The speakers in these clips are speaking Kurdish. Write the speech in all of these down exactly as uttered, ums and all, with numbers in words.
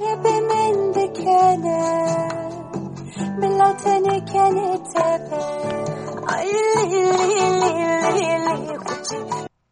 Rebê min dikene, bila tenê kenê tepe. Ay, li, li, li, li, li, xuçî.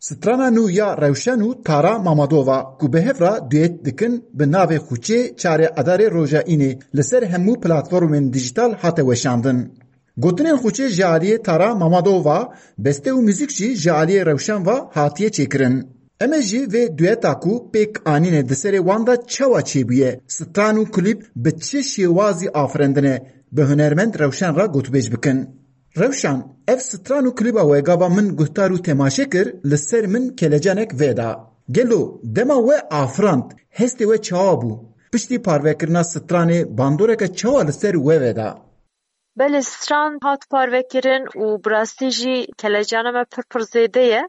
Strana nû ya Rewşen û Tara Mamadova ku bi hev re duyet dikin, bi navê Xuçê çarê Edarê roja Înê li ser hemû platformên dijîtal hate weşandin. Gotinên Xuçê ji aliyê Tara Mamadova, beste û muzîk jî ji aliyê Rewşen ve hatiye çêkirin. Em ê jî vê duyeta ku pêk anîne di serê wan de çawa çêbûye, stran û klîp bi çi şêwazî afirendine, bi hunermend Rewşen re gotûbêj bikin. Rewşan, ev stran û klîba we gava min guhdar û temaşe kir, li ser min kelecanek veda. Gelo dema we afirand, hestê we çawa bû? Piştî parvekirina stranê bandoreke çawa li ser we veda? Belê, stran hat parvekirin û bi rastî jî kelecana me pir pir zêde ye.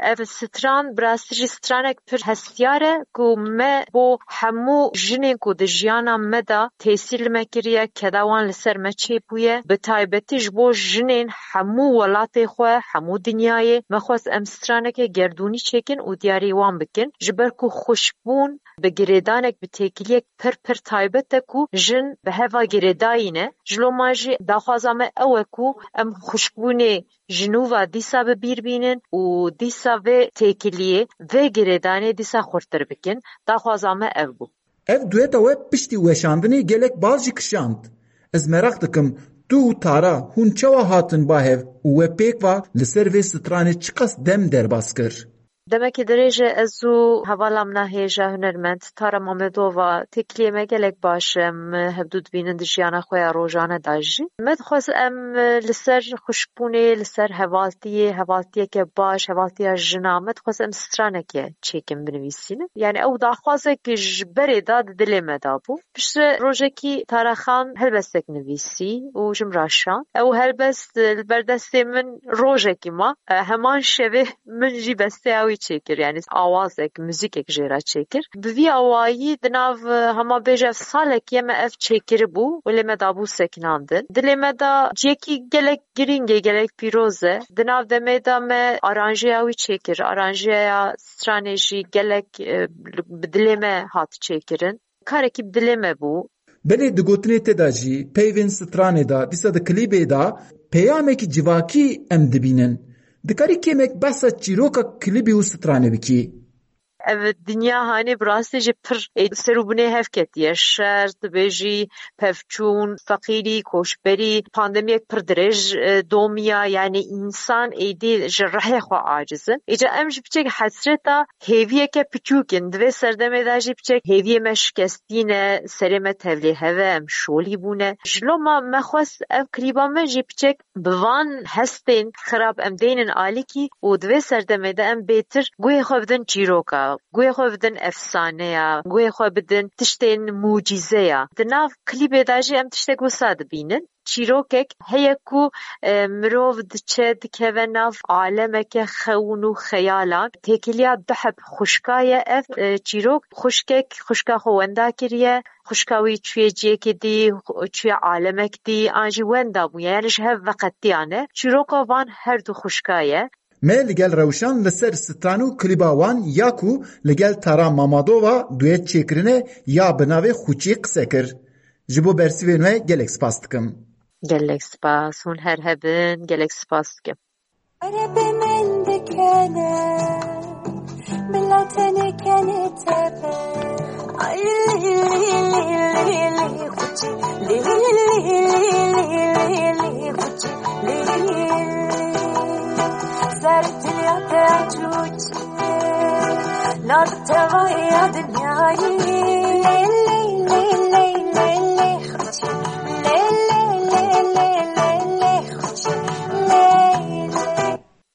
Ev stran bi rastî jî stranek pir hestiyar e ku me bo hemû jinên ku di jiyana me de tesîr li me kiriye, keda wan li ser me çêbûye. Bi taybetî ji bo jinên hemû welatê xwe, hemû dinyayê me xwest em straneke gerdûnî çêkin û diyarî wan bikin. Ji ber ku xwişkbûn bi girêdanek, bi têkiliyek pir pir taybet e ku jin bi heva girêdayî ne. Ji loma jî daxwaza me ew e ku em xwişkbûnê ji nû ve dîsa bi bîr bînin û dîsa vê têkiliyê, vê girêdanê dîsa xurtir bikin. Daxwaza me ev bû. Ev dueta we piştî weşandinê gelek bal jî kişand. Ez meraq dikim, tu û Tara hûn çawa hatin ba hev û we pêk ve li ser vê stranê çiqas dem derbas kir? Demekî dirêj e ez û hevala min a hêja hunermend Tara Mamedova têkiliyê me gelek baş e. Em hevdû dibînin di jiyana xwe ya rojane de jî. Me dixwest em li ser xwişkbûnê, li ser hevaltiyê, hevaltiyeke baş, hevaltiya jina, me dixwest em straneke çêkin, binivîsînin. Yani ew daxwazek ji berê de di dilê me de bû. Piştre rojekî Tara Xan helbestek nivîsî û ji min re şand. Ew helbest, e, li ber destê min rojekî ma. E, heman şevê min jî besteya wî çêkir, yani awazek, muzîkek jê re çêkir. Bi vî awayî di nav, e, hema bêje ev salekî ye me ev çêkiribû û lê me dabû sekinandin. Dilê me da cihekî gelek girîng e, gelek pîroz e. Di nav demê de me aranjeya wî çêkir. Aranjeya stranê jî gelek, e, bi dilê me hat çêkirin. Karekî bi dilê me bû. Belê, di gotinê te de jî, peyvên stranê de, dîsa di klîbê de peyamekî civakî em dibînin. Dikarî kêmek behsa çîroka klîbê û stranê bikî? Ev dinya hanê bi rastî jî pir ê ser û binê hev ketiye. Şer, dibêjî pevçûn, feqîrî, koçberî, pandemiyek pir dirêj, e, domiya, yani însan êdî ji rihê xwe aciz in. Îca em jî piçek hesreta hêviyeke piçûk in. Di vê serdemê de jî piçek hêviyê me şikestî ne, serê me tevlê hev e, em şolî bûne. Ji loma me xwest ev klîba me jî piçek bi van hestên xirab em deynin alîkî û di vê serdemê de em bêtir guhê xwe bidin çîroka, guhê xwe bidin efsaneya, guhê xwe bidin tiştên mucîzeya. Di nav klîbê de jî em tiştek wisa dibînin. Çîrokek heye ku, e, mirov diçe, dikeve nav alemeke xewn û xeyalan. Têkiliya du heb xwişka ye ev, e, çîrok. Xwişkek xwişka xwe wenda kiriye. Xwişka wî çûye ciyekê dî, çûye alemek dî, an jî wenda bûye, yani ji hev veqetiyane. Çîroka van her du xwişka ye. Me li gel Rewşan li ser stran û klîba wan ya ku li gel Tara Mamadova duyet çêkirine ya bi navê Xuçî qise kir. Ji bo bersivên we gelek spas dikim. Gelek spas. Hûn her hebin. Gelek spas dikim. Erebê min dikene, bila tenê kenê tepe. Ay, li, li, li, li, li, xuçî. Li, li, li, li, li, li, xuçî. Li, li, li. Ser diliya te çûçe, nav tevaya dinyayê.